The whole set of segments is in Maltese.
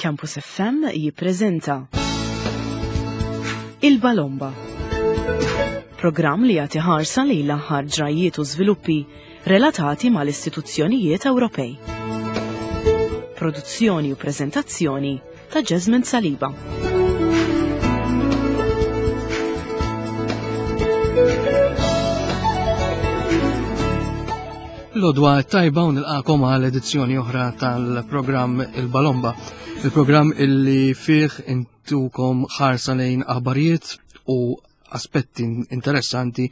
Campus FM jippreżenta Il-Balomba. Programm li jagħti ħarsa lejn l-aħħar ġrajjiet u żviluppi relatati mal-istituzzjonijiet Ewropej. Produzzjoni u preżentazzjoni ta' Jasmine Saliba. L-odwa tajba u nilqakom għal edizzjoni oħra tal-programm Il-Balomba. Il-programm illi fih intukom ħarsa lejn aħbarijiet u aspetti interessanti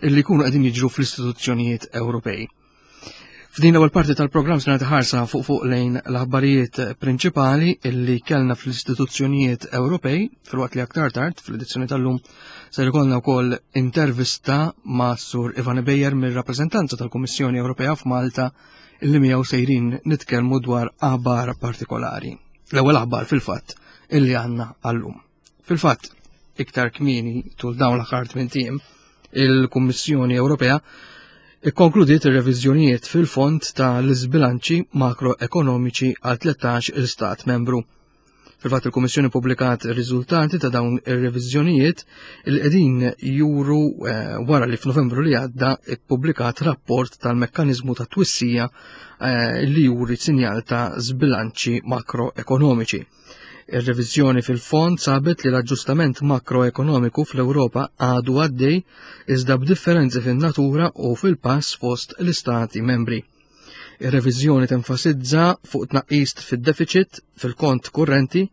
illi jkunu qegħdin jiġru fl-istituzzjonijiet Ewropej. F'din l-ewwel parti tal-programm se nagħti ħarsa fuq fuq lejn l-aħbarijiet prinċipali illi kellna fl-istituzzjonijiet Ewropej filwaqt li aktar tard fl-edizzjoni tal-lum se jkollna wkoll intervista ma' Sur Ivan Bejer mir-rappreżentanza tal-Kummissjoni Ewropea f'Malta illi miegħu sejrin nitkellmu dwar aħbar partikolari. L-ewwel aħbar fil-fatt illi għandna għallum. Fil-fatt, iktar kmieni tul dawn l-aħħar tmien il-Kummissjoni Ewropea ikkonkludiet ir-reviżjonijiet fil-fond ta' l-iżbilanċi makroekonomiċi għal 13 il-Stat membru. Fil-fatt il-Kummissjoni publikat ir-riżultati ta' dawn ir-reviżjonijiet il qegħdin juru eh, wara li f'Novembru li għadda ippubblikat rapport tal-mekkaniżmu ta' twissija eh, li juri sinjal ta' żbilanċi makroekonomiċi. Ir-reviżjoni fil-fond sabet li l-aġġustament makroekonomiku fl-Ewropa għadu għaddej iżda b'differenzi fin-natura u fil-pass fost l-istati membri. Ir-reviżjoni tenfasizza fuq tnaqqis fid-deficit fil-kont kurrenti,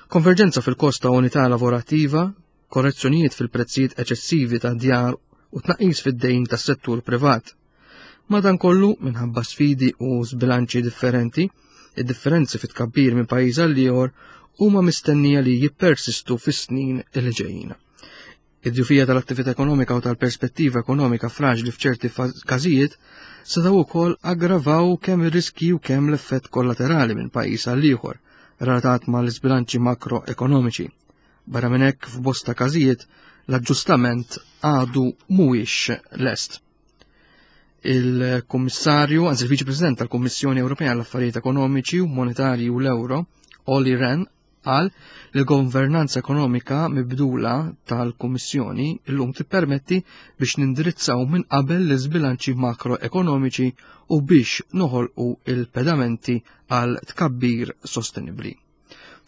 konverġenza fil-kost ta' unità lavorattiva, korrezzjonijiet fil-prezzijiet eċessivi ta' djar u tnaqqis fid-dejn tas-settur privat. Madankollu, minħabba sfidi u żbilanċi differenti, id-differenzi fit-tkabbir minn pajjiż għal ieħor huma mistennija li jippersistu fis-snin li ġejjin. Id-djufija tal-attività ekonomika u tal-perspettiva ekonomika fraġli f'ċerti każijiet setgħu wkoll aggravaw kemm ir-riski u kemm l-effett kollaterali minn pajjiż għal ieħor relatat mal-iżbilanċi makroekonomiċi. Barra minn hekk f'bosta każijiet l-aġġustament għadu mhuwiex lest. Il-Kummissarju, anzi il-Viċi President tal-Kummissjoni Ewropea għall-Affarijiet Ekonomiċi u Monetarji u l-Euro, Olli Rehn, qal li l-governanza ekonomika mibdula tal-Kummissjoni llum tippermetti biex nindirizzaw minn qabel l-iżbilanċi makroekonomiċi u biex noħolqu il-pedamenti għal tkabbir sostenibbli.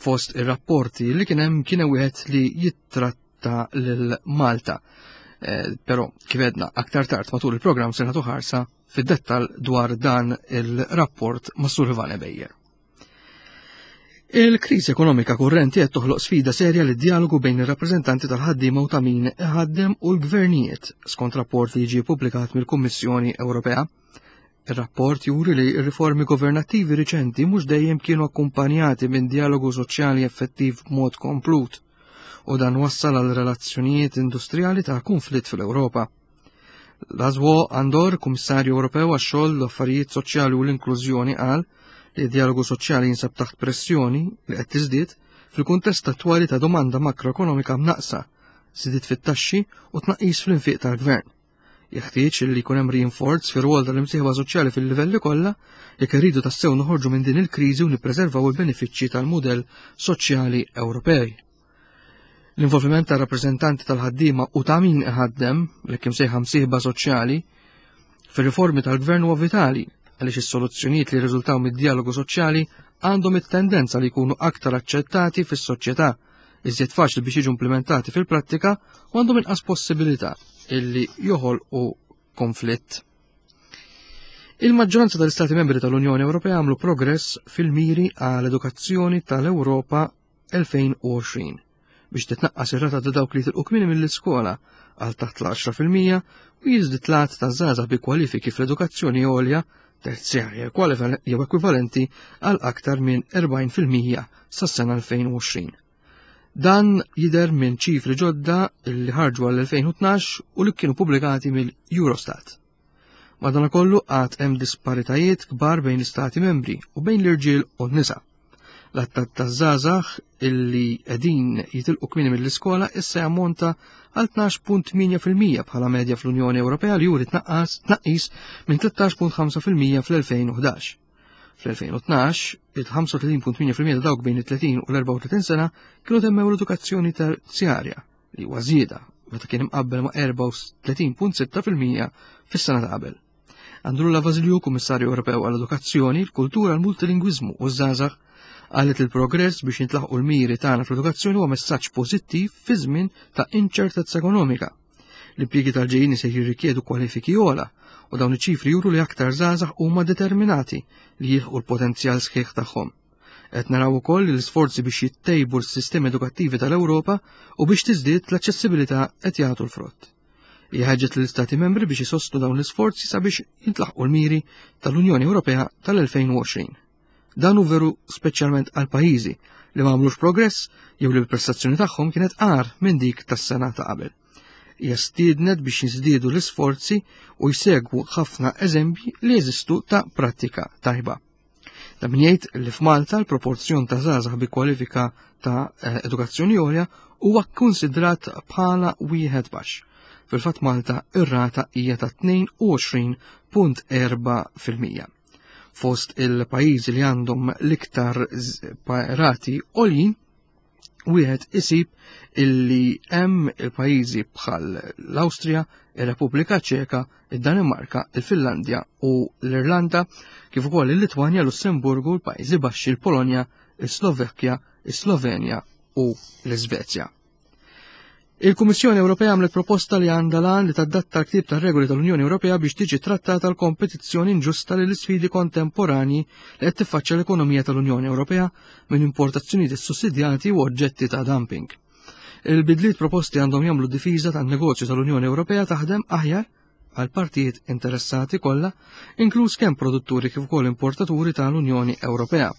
Fost ir-rapporti li kien hemm kien wieħed li jittratta lil Malta. Eh, però kif edna aktar tard matul il-programm se nagħtu ħarsa fid-dettal dwar dan il-rapport ma' Sur Ivane Bejjer. Il-kriżi ekonomika kurrenti qed toħloq sfida serja lid dialogu bejn ir-rappreżentanti tal-ħaddiema u ta' min iħaddem u l-gvernijiet, skont rapport li jiġi ppubblikat mill-Kummissjoni Ewropea. Ir-rapport juri li r-riformi governattivi riċenti mhux dejjem kienu akkumpanjati minn dialogu soċjali effettiv b'mod komplut u dan wassal għal relazzjonijiet industrijali ta' kunflitt fl-Ewropa. Laszlo Andor, Kummissarju Ewropew għax-xogħol, l-affarijiet soċjali u l-inklużjoni qal li d-dialogu soċjali jinsab taħt pressjoni li qed tiżdied fil-kuntest attwali ta' domanda makroekonomika mnaqsa, żidiet fit-taxxi u tnaqqis fl-infiq tal-gvern. Jeħtieġ li jkun hemm rinforz fir-rwol tal-imsieħba soċjali fil-livelli kollha jekk irridu tassew noħorġu minn din il-kriżi u nippreservaw il-benefiċċji tal-mudell soċjali Ewropej. L-involviment ta' rappreżentanti tal-ħaddiema u ta' min iħaddem, li kim sejħa msieħba soċjali, fir-riformi tal-gvern huwa vitali għaliex is-soluzzjonijiet li jirriżultaw mid-dialogu soċjali għandhom it-tendenza li jkunu aktar aċċettati fis-soċjetà iżjed faċli biex jiġu implementati fil-prattika u għandhom inqas possibilità illi joħolqu konflitt. Il-maġġoranza tal-Istati membri tal-Unjoni Ewropea għamlu progress fil-miri għal edukazzjoni tal-Ewropa 2020 biex titnaqqas ir-rata ta' dawk li tilqu kmieni mill-iskola għal taħt l-10% u jiżdied l-għadd ta' żgħażagħ bi kwalifiki fl-edukazzjoni għolja terzjarja jew ekwivalenti għal aktar minn 40% sas-sena 2020. Dan jidher minn ċifri ġodda li ħarġu għall-2012 u li kienu pubblikati mill-Eurostat. Madanakollu għad hemm disparitajiet kbar bejn l-istati membri u bejn l-irġiel u n-nisa. L-attat ta' żgħażagħ illi qegħdin jitilqu kmieni mill-iskola issa jammonta għal 12.8% bħala medja fl-Unjoni Ewropea li juri tnaqqas tnaqqis minn 13.5% fl-2011. Fl-2012, il-35.8% ta' dawk bejn it-30 u l-34 sena kienu temmew l-edukazzjoni terzjarja li huwa żieda meta kien imqabbel ma' 34.6% fis-sena ta' qabel. Andrulla Vasilju, Kummissarju Ewropew għall-Edukazzjoni, l-Kultura, l-Multilingwiżmu u ż-Żgħażagħ, qalet li l-progress biex jintlaħqu l-miri tagħna fl-edukazzjoni huwa messaġġ pożittiv fi żmien ta' inċertezza ekonomika. L-impjiegi tal-ġejjieni se jirrikjedu kwalifiki ogħla u dawn iċ-ċifri juru li aktar żgħażagħ huma determinati li jilħqu l-potenzjal sħiħ tagħhom. Qed naraw ukoll li l-isforzi biex jittejbu l-sistemi edukattivi tal-Ewropa u biex tiżdied l-aċċessibilità qed jagħtu l-frott. Hija ħeġġet lill-Istati membri biex isostnu dawn l-isforzi sabiex jintlaħqu l-miri tal-Unjoni Ewropea tal-2020. Dan hu veru speċjalment għal pajjiżi li ma għamlux progress jew li l-prestazzjoni tagħhom kienet agħar minn dik tas-sena ta' qabel. Hija stiednet biex jiżdiedu l-isforzi u jsegwu ħafna eżempji li jeżistu ta' prattika tajba. Ta' min jgħid li f'Malta l-proporzjon ta' żgħażagħ bi kwalifika ta' eh, edukazzjoni għolja huwa kkunsidrat bħala wieħed baxx. Fil-fatt Malta ir-rata hija ta' 22.4%. Fost il-pajjiżi li għandhom l-iktar rati għoljin wieħed isib illi hemm il-pajjiżi bħal l-Awstrija, ir-Repubblika Ċeka, id-Danimarka, il-Finlandja u l-Irlanda, kif ukoll il-Litwanja, Lussemburgu, l-Pajjiżi Baxxi, il-Polonja, is-Slovakkja, is-Slovenja u l-Iżvezja. Il-Kummissjoni Ewropea għamlet proposta li għandha l-għan li tadatta l-ktieb tar-regoli tal-Unjoni Ewropea biex tiġi trattata l-kompetizzjoni inġusta li l-isfidi kontemporanji li qed tiffaċċja l-ekonomija tal-Unjoni Ewropea minn importazzjonijiet issussidjati u oġġetti ta' dumping. Il-bidliet proposti għandhom jagħmlu difiża tan-negozju tal-Unjoni Ewropea taħdem aħjar għal partijiet interessati kollha, inkluż kemm produtturi kif ukoll importaturi tal-Unjoni Ewropea.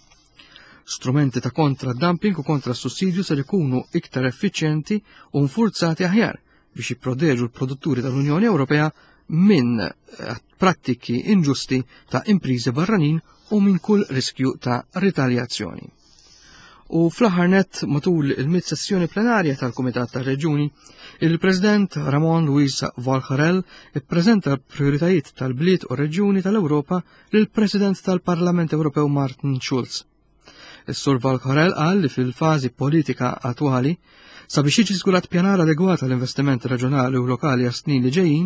Strumenti ta' kontra dumping u kontra sussidju ser ikunu iktar effiċjenti u nfurzati aħjar biex jipproteġu l-produtturi tal-Unjoni Ewropea minn eh, prattiki inġusti ta' imprizi barranin u minn kull riskju ta' ritaljazzjoni. U fl-aħħar nett matul il-mid sessjoni plenarja tal-Kumitat tar-Reġjuni, il-President Ramon Luis Valcarel ippreżenta l-prijoritajiet tal-bliet u reġjuni tal-Ewropa lill-President tal-Parlament Ewropew Martin Schulz. Is-Sur Valcarel qal li fil-fażi politika attwali, sabiex jiġi żgurat pjanar adegwat għall-investiment reġjonali u lokali għas-snin li ġejjin,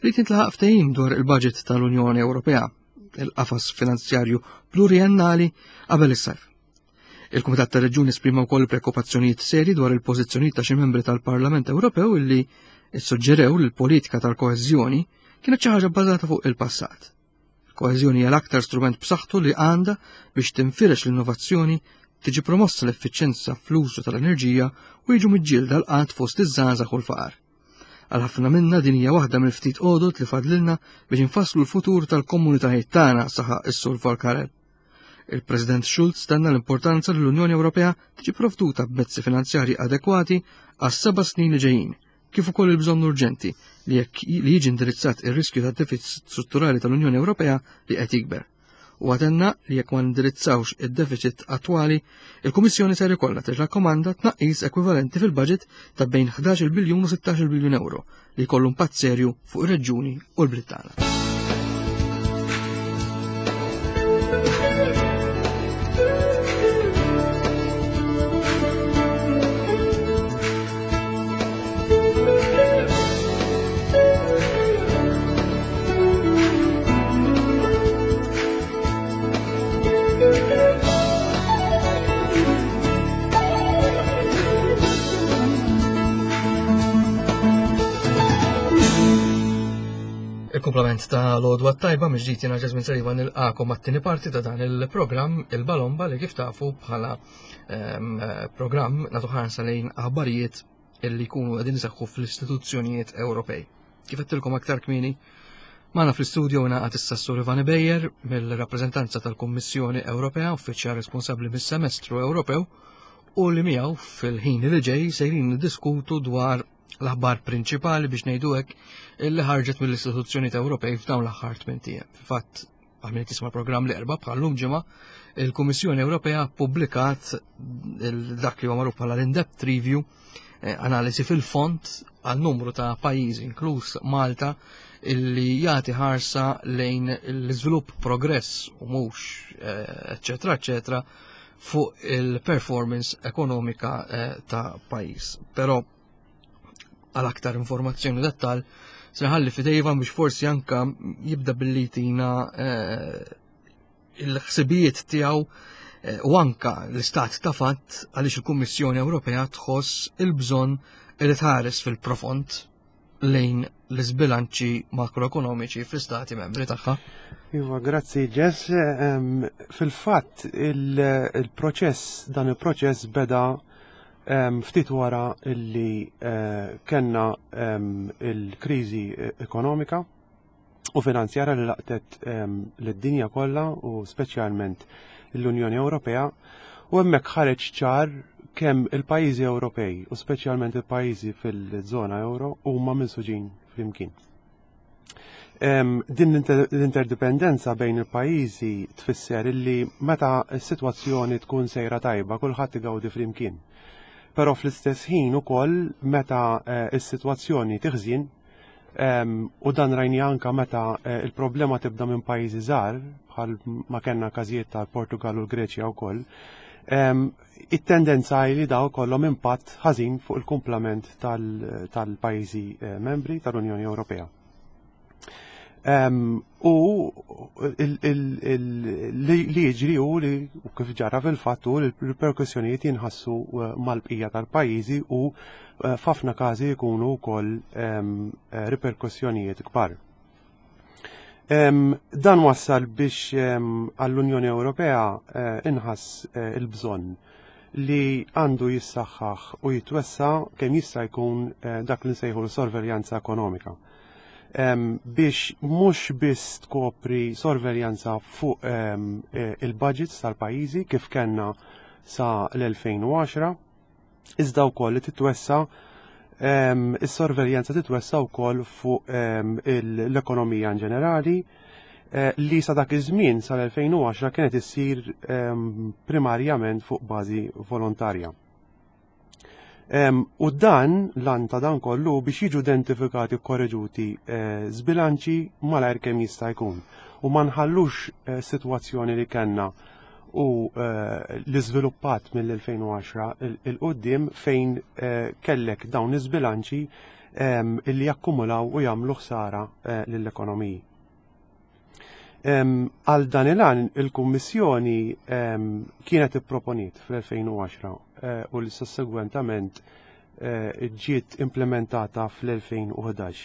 rrid jintlaħaq ftehim dwar il-budget tal-Unjoni Ewropea il-qafas finanzjarju pluriennali qabel is-sajf. Il-Kumitat tar-Reġjuni esprima wkoll preokkupazzjonijiet seri dwar il-pożizzjonijiet ta' xi membri tal-Parlament Ewropew illi ssuġġerew li l-politika tal-koeżjoni kienet xi ħaġa bbażata fuq il-passat. Il-koeżjoni hija l-aktar strument b'saħħtu li għandha biex tinfirex l-innovazzjoni, tiġi promossa l-effiċjenza fl-użu tal-enerġija u jiġu miġġielda l-qgħad fost iż-żgħażagħ u l-faqar. Għal ħafna minna din hija waħda mill-ftit għodod li fadlilna biex infasslu l-futur tal-komunitajiet tagħna, saħaq is-Sur Volkarel. Il-President Schulz tenna l-importanza li l-Unjoni Ewropea tiġi provduta b'mezzi finanzjarji adekwati għas seba' snin li ġejjin, kif ukoll il-bżonn urġenti li jekk li jiġi indirizzat ir-riskju ta' deficit strutturali tal-Unjoni Ewropea li qed jikber. U għatenna li jekk ma ndirizzawx id-deficit attwali, il-Kummissjoni ser ikollha tirrakkomanda tnaqqis ekwivalenti fil-budget ta' bejn 11 biljun u 16 biljun euro li jkollu impatt serju fuq ir-reġjuni u l-bliet tagħna. Il-kumplament ta' l-odwa tajba miġdijt jena Ġazmin Sariba nil-għakom għat-tini parti ta' dan il-program il-Balomba li kif tafu bħala ehm, program natu ħarsa lejn aħbarijiet illi jkunu qegħdin iseħħu fl-istituzzjonijiet Ewropej. Kif għedtilkom aktar kmieni, magħna fl-istudio ngħaqad issa s-Sur Ivan Bejer mill-rappreżentanza tal-Kummissjoni Ewropea, uffiċjal responsabbli mis-Semestru Ewropew, u li miegħu fil-ħin li ġej sejrin niddiskutu dwar l-aħbar prinċipali biex ngħidu hekk illi ħarġet mill-istituzzjonijiet Ewropej f'dawn l-aħħar tmien ijiem. Fil-fatt, għal min jisma' programm li erba' bħal-lum ġimgħa, il-Kummissjoni Ewropea ppubblikat dak li huwa magħruf bħala l-in-depth review eh, analiżi fil-fond għal numru ta' pajjiżi inkluż Malta illi jagħti ħarsa lejn l-iżvilupp progress u mhux eh, eċċetera eċċetera fuq il-performance ekonomika eh, ta' pajjiż. Però għal aktar informazzjoni dettal se nħalli fidej Ivan biex forsi anka jibda billi tina eh, il-ħsibijiet tiegħu eh, u anka l-istat ta' fatt għaliex il-Kummissjoni Ewropea tħoss il-bżonn li tħares fil-profond lejn l-iżbilanċi makroekonomiċi fl-istati membri tagħha. Iva, grazzi Jess. Fil-fatt il-proċess, dan il-proċess beda ftit wara illi eh, kellna il-kriżi ekonomika u finanzjara li laqtet lid-dinja kollha u speċjalment l-Unjoni Ewropea u hemmhekk ħareġ ċar kemm il-pajjiżi Ewropej u speċjalment il-pajjiżi fil-żona euro huma minsuġin flimkien. Din l-interdipendenza bejn il-pajjiżi tfisser illi meta s-sitwazzjoni tkun sejra tajba kulħadd igawdi flimkien. Però fl-istess ħin ukoll meta eh, s-sitwazzjoni tiħżin U dan rajni anka meta eh, il-problema tibda minn pajjiżi żgħar bħal ma kellna każijiet tal-Portugal u l-Greċja wkoll. It-tendenza li daw kollhom impatt ħażin fuq il-kumplament tal-pajjiżi eh, membri tal-Unjoni Ewropea. U li jiġri u li kif ġara fil-fatt u l-perkussjonijiet jinħassu eh, mal-bqija tal-pajjiżi u eh, f'ħafna każi jkunu wkoll eh, riperkussjonijiet kbar. Dan wassal biex għall-Unjoni Ewropea inħass il-bżonn li għandu jissaħħaħ u jitwessa kemm jista' jkun dak li nsejħu l-sorveljanza ekonomika biex mhux biss tkopri sorveljanza fuq e, il-budgets tal-pajjiżi kif kellna sa l-2010, iżda wkoll li titwessa is-sorveljanza titwessa wkoll fuq l-ekonomija in ġenerali eh, li sa dak iż-żmien sal-2010 kienet issir primarjament fuq bażi volontarja. U dan, lan ta' dan kollu biex jiġu identifikati u korreġuti eh, zbilanċi malajr kemm jista' jkun. U ma nħallux eh, sitwazzjoni li kellna u eh, li żviluppat mill-2010 il-qoddim fejn kellek dawn iż-żbilanċi illi jakkumulaw u jagħmlu ħsara lill-ekonomiji. Għal dan il-għan il-Kummissjoni kienet ipproponiet fl-2010 eh, u li sussegwentament eh, ġiet implementata fl-2011.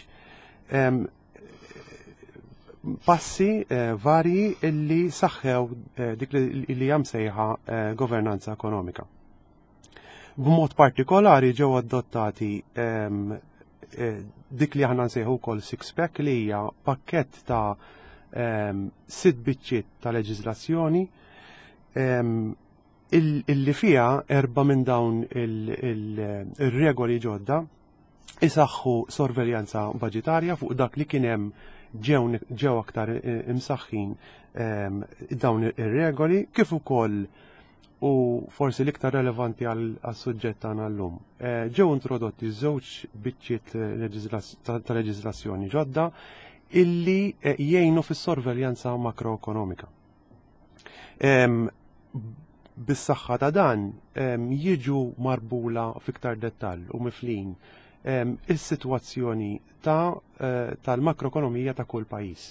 Passi eh, varji illi saħħew dik li jam sejħa governanza ekonomika. B'mod partikolari ġew adottati ehm, eh, dik li aħna nsejħu wkoll six pack li hija pakkett ta' ehm, sitt biċċiet ta' leġiżlazzjoni ehm, illi fiha erba' minn dawn il-regoli ġodda isaħħu sorveljanza budgetarja fuq dak li kien hemm ġew aktar eh, imsaħħin dawn ir-regoli kif ukoll u forsi l-iktar relevanti għas-suġġett tagħna llum. Eh, ġew introdotti żewġ biċċiet eh, ta' leġiżlazzjoni ġodda illi eh, jgħinu fis-sorveljanza makroekonomika. Bis-saħħa ta' dan jiġu marbula fiktar dettall u miflin is-sitwazzjoni ta' tal-makroekonomija ta' kull pajjiż.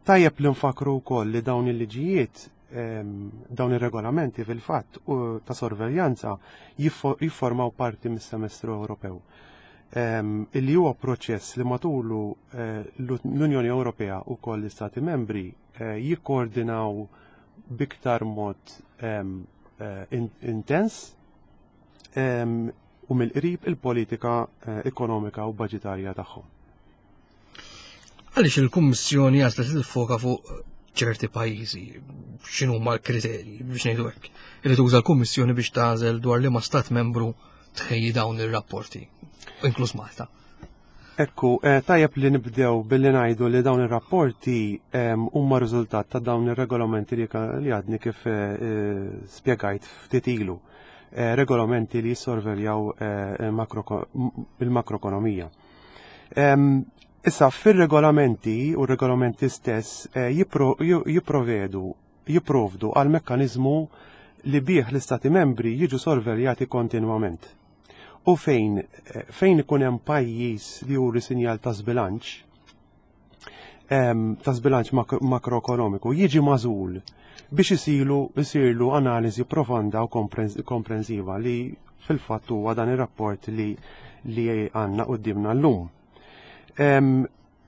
Tajjeb li nfakru wkoll li dawn il-liġijiet dawn ir-regolamenti fil-fatt ta' sorveljanza jifformaw parti mis-semestru Ewropew. Illi huwa proċess li matulu eh, l-Unjoni Ewropea u koll l-Istati membri eh, jikkoordinaw biktar mod eh, intens u mill-qrib il-politika ekonomika u budgetarja tagħhom. Għaliex il-Kummissjoni għażlet tiffoka fuq ċerti pajjiżi, x'inhuma l-kriterji biex ngħidu hekk. Irid tuża l-Kummissjoni biex tagħżel dwar liema stat membru tħejji dawn ir-rapporti, inkluż Malta. Ekku, eh, tajjeb li nibdew billi ngħidu li dawn ir-rapporti ehm, huma riżultat ta' dawn ir-regolamenti li għadni kif eh, eh, spjegajt ftit ilu. regolamenti li jissorveljaw il-makroekonomija. Issa fir-regolamenti u r-regolamenti stess jipprovedu jipprovdu għal mekkaniżmu li bih l-Istati membri jiġu sorveljati kontinwament. U fejn fejn ikun hemm pajjiż li juri sinjal ta' żbilanċ, ta' żbilanċ makroekonomiku jiġi magħżul biex isilu isirlu analiżi profonda u komprensiva li fil-fatt huwa dan ir-rapport li li għandna quddiemna llum.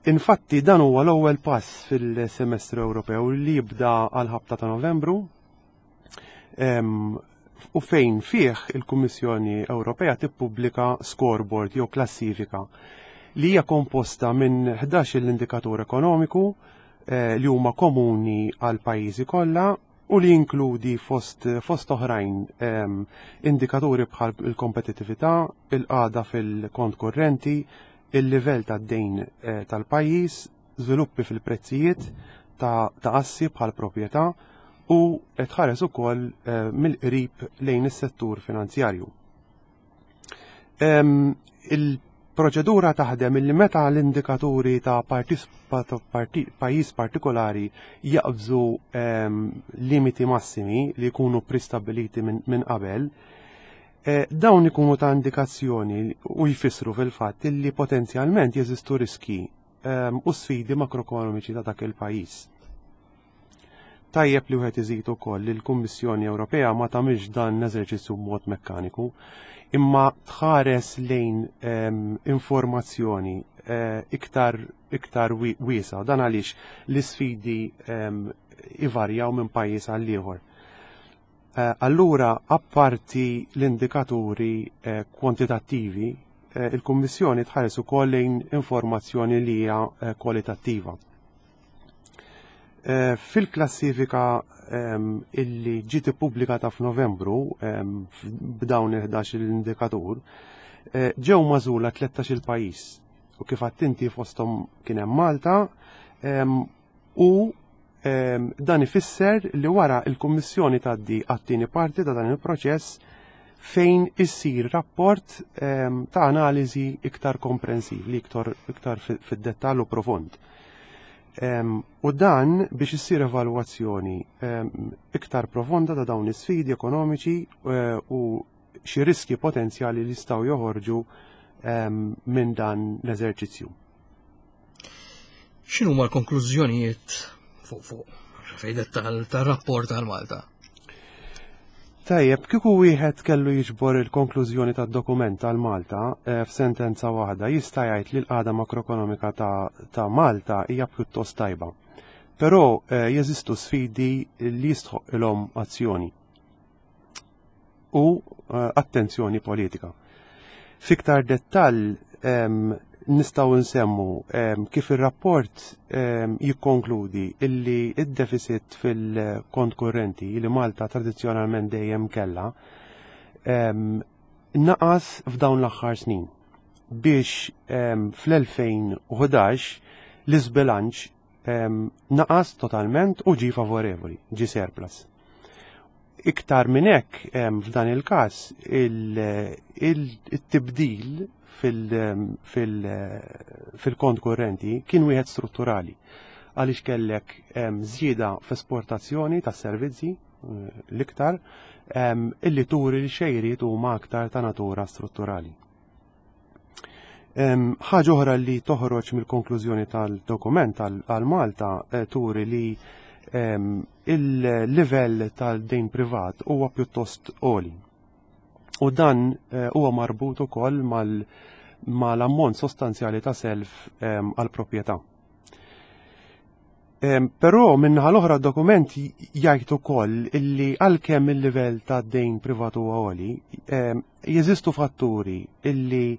Infatti dan huwa l-ewwel pass fil-semestru Ewropew li jibda għal ħabta ta' Novembru u fejn fih il-Kummissjoni Ewropea tippubblika scoreboard jew klassifika li hija komposta minn 11 l-indikatur ekonomiku li huma komuni għal pajjiżi kollha u li jinkludi fost, fost oħrajn indikaturi bħal il-kompetittività, il-qagħda fil-kont kurrenti, il-livell tad-dejn tal-pajjiż, żviluppi fil-prezzijiet ta' assi bħal proprjetà u tħares ukoll mill-qrib lejn is-settur finanzjarju. Il-proċedura taħdem illi meta l-indikaturi ta' pajjiż partikolari jaqbżu limiti massimi li jkunu pristabiliti minn qabel, dawn ikunu ta' indikazzjoni u jfissru fil-fatt illi potenzjalment jeżistu riski u sfidi makroekonomiċi ta' dak il-pajjiż. Tajjeb li wieħed iżid ukoll li l-Kummissjoni Ewropea ma tagħmilx dan l-eżerċizzju b'mod mekkaniku, imma tħares lejn informazzjoni iktar iktar wiesa. Dan għaliex l-isfidi ivarjaw minn pajjiż għal ieħor. Allura, apparti l-indikaturi kwantitattivi, il-Kummissjoni tħares ukoll lejn informazzjoni li hija kwalitattiva. Fil-klassifika illi ġiet ippubblikata f'Novembru b'dawn il-11 l-indikatur, ġew magħżula 13 il-pajjiż. U kif inti fosthom kien hemm Malta u dan ifisser li wara il-Kummissjoni tgħaddi għat-tieni parti ta' dan il-proċess fejn issir rapport ta' analiżi iktar komprensiv, li iktar, iktar fid-dettall u profond. U dan biex issir evalwazzjoni iktar profonda ta' dawn is-sfidi ekonomiċi u xi riski potenzjali li jistgħu joħorġu minn dan l-eżerċizzju. X'inhuma l-konklużjonijiet fuq fejdet tal-rapport tal-Malta? Tajjeb, kieku wieħed kellu jiġbor il-konklużjoni tad-dokument tal-Malta f'sentenza waħda, jista' jgħid li l-qagħda makroekonomika ta' Malta hija pjuttost tajba. Però jeżistu sfidi li jistħoq azzjoni u attenzjoni politika. Fiktar dettall nistgħu nsemmu kif ir-rapport jikkonkludi illi id-deficit fil-kont kurrenti li Malta tradizzjonalment dejjem kellha naqas f'dawn l-aħħar snin biex fl-2011 l-iżbilanċ naqas totalment u ġi favorevoli, ġi surplus. Iktar minn hekk f'dan il-każ il-tibdil fil-kont kurrenti kien wieħed strutturali għaliex kellek żieda f'esportazzjoni ta' servizzi l-iktar illi turi li xejriet huma aktar ta' natura strutturali. Ħaġa oħra li toħroġ mill-konklużjoni tal-dokument għal Malta turi li il-livell tal-dejn privat huwa pjuttost għoli. U dan huwa marbut ukoll mal-ammont sostanzjali ta' self għal proprjetà. Però minnaħa l-oħra dokument jgħid ukoll illi għalkemm il-livell ta' dejn privat huwa għoli, jeżistu fatturi illi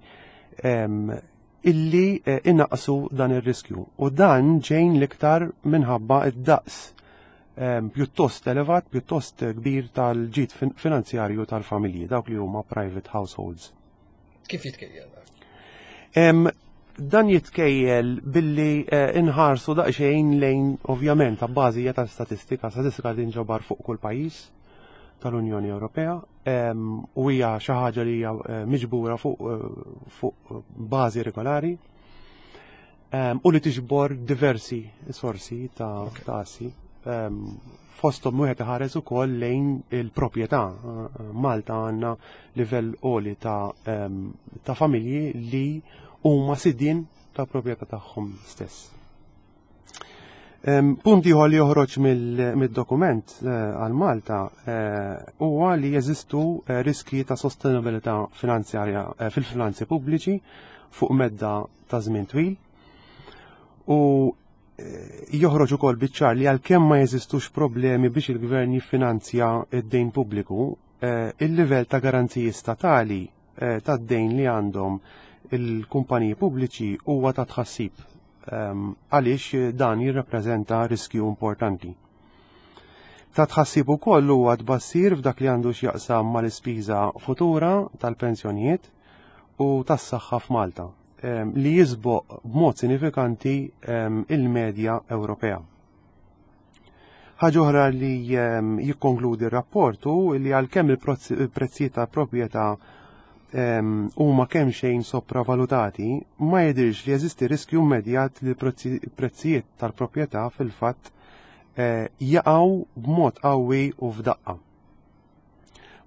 inaqsu dan ir-riskju. U dan ġejn l-iktar minħabba id-daqs pjuttost elevat, pjuttost kbir tal-ġid finanzjarju tal-familji, dawk li huma private households. Kif jitkejjel? Dan jitkejjel billi inħarsu daqsxejn lejn ovvjament ta' bażi ta' statistika, statistika tinġabar fuq kull pajjiż. tal-Unjoni Ewropea u hija xi ħaġa li hija eh, miġbura fuq eh, fuq bażi regolari u li tiġbor diversi sorsi ta' assi. Fosthom wieħed iħares ukoll lejn il-proprjetà. Malta għandna livell għoli ta' ta' familji li huma sidien ta' proprjetà tagħhom stess. Punt ieħor li joħroġ mid-dokument eh, għal Malta eh, huwa li jeżistu eh, riski ta' sostenibilità finanzjarja fil-finanzi pubbliċi fuq medda ta' żmien twil u joħroġ ukoll biċ-ċar li għalkemm ma jeżistux problemi biex il-gvern jiffinanzja id-dejn pubbliku, il-livell ta' garanziji statali tad-dejn li għandhom il-kumpaniji pubbliċi huwa ta' tħassib ehm, għaliex dan jirrappreżenta riskju importanti. Ta' tħassib ukoll huwa tbassir f'dak li għandu x'jaqsam mal-ispiża futura tal-pensjonijiet u tas-saħħa f'Malta ehm, li jisboq b'mod sinifikanti ehm, il-medja Ewropea. Ħaġa oħra li ehm, jikkonkludi r-rapport hu li għalkemm il-prezzijiet ta' proprjetà ehm, huma kemm xejn sopravalutati, ma jidhirx li jeżisti riskju immedjat li l-prezzijiet tal-proprjetà fil-fatt eh, jaqgħu b'mod qawwi u f'daqqa.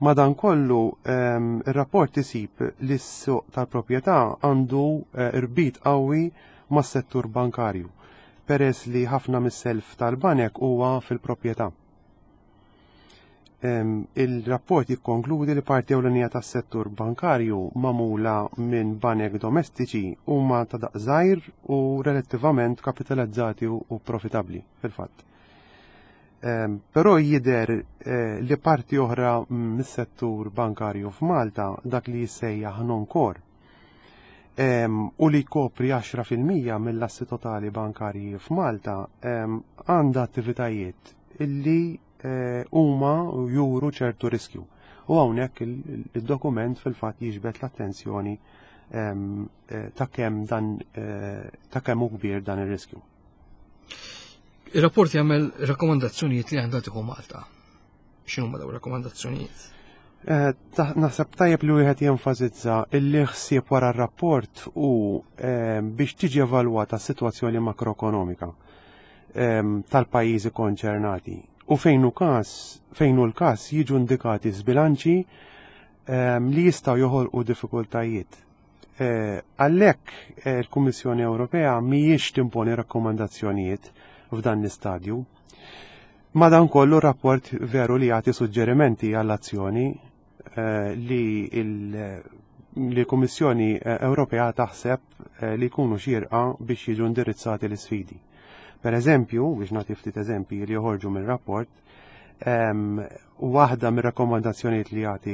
Madankollu, ehm, ir-rapport isib li s-suq tal-proprjetà għandu eh, irbit qawwi mas-settur bankarju, peress li ħafna mis-self tal-banek huwa fil-proprjetà. Ehm, il-rapport jikkonkludi li parti ewlenija tas-settur bankarju magħmula minn banek domestiċi huma ta' daqs żgħir u relattivament kapitalizzati u profitabbli fil-fatt. Ehm, però jidher eh, li parti oħra mis-settur bankarju f'Malta dak li jissejjaħ non-core ehm, u li jkopri 10% mill-assi totali bankarji f'Malta ehm, għandha attivitajiet illi eh, huma juru ċertu riskju. U hawnhekk il-dokument fil-fatt jiġbed l-attenzjoni eh, ta' kemm dan ta' kemm hu kbir dan ir-riskju. Ir-rapport jagħmel rakkomandazzjonijiet li għandha tieħu Malta. X'inhuma dawn rakkomandazzjonijiet? Eh, naħseb tajjeb li wieħed jenfasizza illi ħsieb wara r-rapport u eh, biex tiġi evalwata s-sitwazzjoni makroekonomika eh, tal-pajjiżi konċernati u fejn hu każ fejn hu l-każ jiġu indikati żbilanċi li jistgħu joħolqu diffikultajiet Eh, għalhekk eh, il-Kummissjoni Ewropea mhijiex timponi rakkomandazzjonijiet f'dan l-istadju. Madankollu rapport veru li jagħti suġġerimenti għall-azzjoni eh, li l-Kummissjoni Ewropea taħseb li jkunu xierqa biex jiġu indirizzati l-isfidi. Per eżempju, biex nagħti ftit eżempji li joħorġu mir-rapport, Waħda mir-rakkomandazzjonijiet li jagħti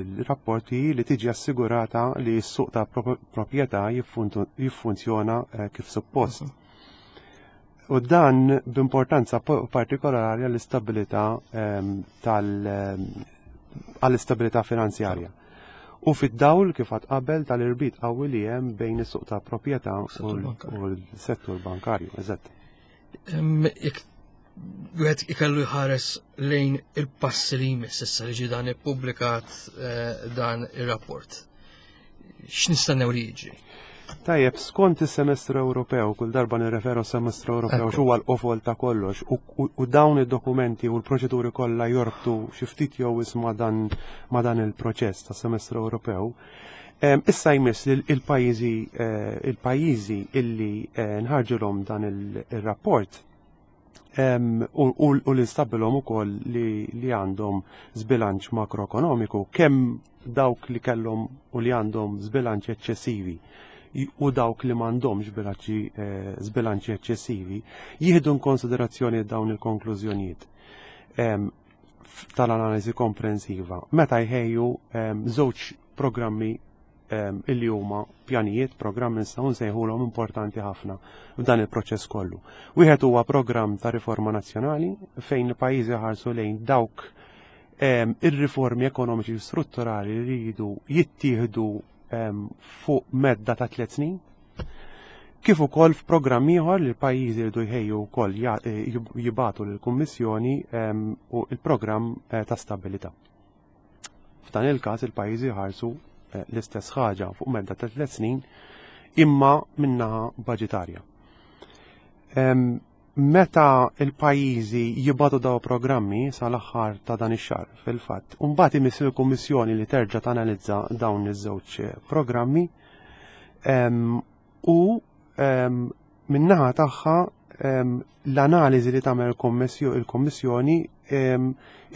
il-rapport hi li tiġi assigurata li s-suq ta' proprjetà jiffunzjona eh, kif suppost. Mhm. U dan b'importanza partikolari għall-istabilità tal għall-istabilità finanzjarja. U fid-dawl kif għad qabel tal-irbit qawwi li hemm bejn is-suq ta' proprjetà u l-settur bankarju. Eżatt. Jekk wieħed ikellu jħares lejn il-passi li jmiss issa li ġie dan ippubblikat eh, dan ir-rapport. X'nistennew li jiġri? Tajjeb, skont is-semestru Ewropew, kull darba nirreferu semestru Ewropew x'huwa l-qofol ta' kollox u dawn id-dokumenti u l-proċeduri kollha jorbtu xi ftit jew ma' dan ma' dan il-proċess tas semestru Ewropew. Issa jmiss li il-pajjiżi eh, il-pajjiżi illi eh, nħarġulhom dan il-rapport u li nstabilhom ukoll li għandhom żbilanċ makroekonomiku kemm dawk li kellhom u li għandhom żbilanċ eċċessivi u dawk li m'għandhomx bilanċi eh, żbilanċi eċċessivi jieħdu konsiderazzjoni dawn il-konklużjonijiet tal-analiżi komprensiva meta jħejju żewġ programmi ehm, illi huma pjanijiet, programmi nistgħu nsejħulhom importanti ħafna f'dan il-proċess kollu. Wieħed huwa programm ta' riforma nazzjonali fejn il-pajjiżi ħarsu lejn dawk ehm, ir-riformi ekonomiċi strutturali li jridu jittieħdu ehm, fuq medda ta' tliet snin. Kif ukoll f'programm ieħor li l-pajjiżi jridu jħejju wkoll jibatu lill-Kummissjoni u il-programm ta' stabilità. F'dan il-każ il-pajjiżi jħarsu l-istess ħaġa fuq medda ta' 3 snin imma minnaħa baġitarja. Meta il-pajjiżi jibatu daw programmi sal-aħħar ta' dan ix-xahar fil-fatt, u mbagħad imiss il-Kummissjoni li terġa' tanalizza dawn iż-żewġ programmi u min-naħa tagħha l-analiżi li tagħmel il-Kummissjoni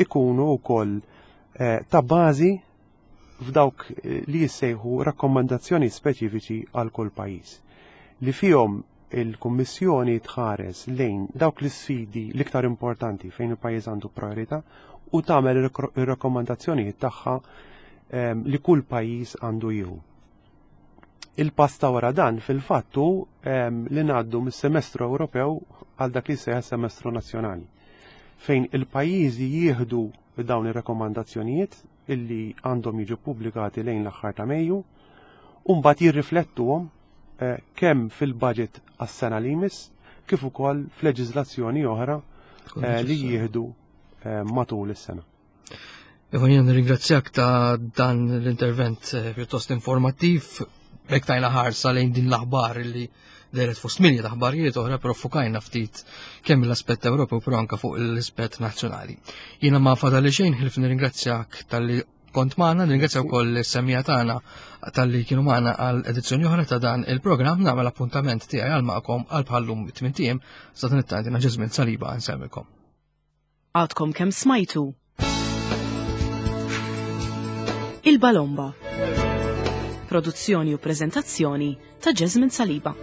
ikunu wkoll ta' bażi f'dawk li jissejħu rakkomandazzjoni speċifiċi għal kull pajjiż li fihom il-Kummissjoni tħares lejn dawk l-isfidi l-iktar importanti fejn il-pajjiż għandu priorità u tagħmel ir-rakkomandazzjonijiet tagħha li kull pajjiż għandu jieħu. Il-pass ta' wara dan fil-fatt hu li ngħaddu mis-semestru Ewropew għal dak li jsejjaħ semestru nazzjonali fejn il-pajjiżi jieħdu dawn ir-rakkomandazzjonijiet illi għandhom jiġu pubblikati lejn l-aħħar ta' Mejju u mbagħad jirriflettuhom kemm fil-budget għas-sena li jmiss kif ukoll f'leġiżlazzjoni oħra li jieħdu matul is-sena. Ivan, jien nirringrazzjak ta' dan l-intervent pjuttost informattiv, b'hekk tajna ħarsa lejn din l-aħbar li dehret fost milja ta' aħbarijiet oħra, però fukajna ftit kemm l-aspett Ewropew però anke fuq l-aspett nazzjonali. Jiena ma fadali xejn ħlief nirringrazzjak talli kont magħna, nirringrazzja wkoll is-semmiegħa tagħna talli kienu magħna għal edizzjoni oħra ta' dan il-programm, nagħmel appuntament tiegħi għal magħkom għal bħallum 8 ijiem sa dan it-tant jiena Ġeżmin Saliba nsellmilkom. Għadkom kemm smajtu Il-Balomba. Produzzjoni u preżentazzjoni ta' Jasmine Saliba.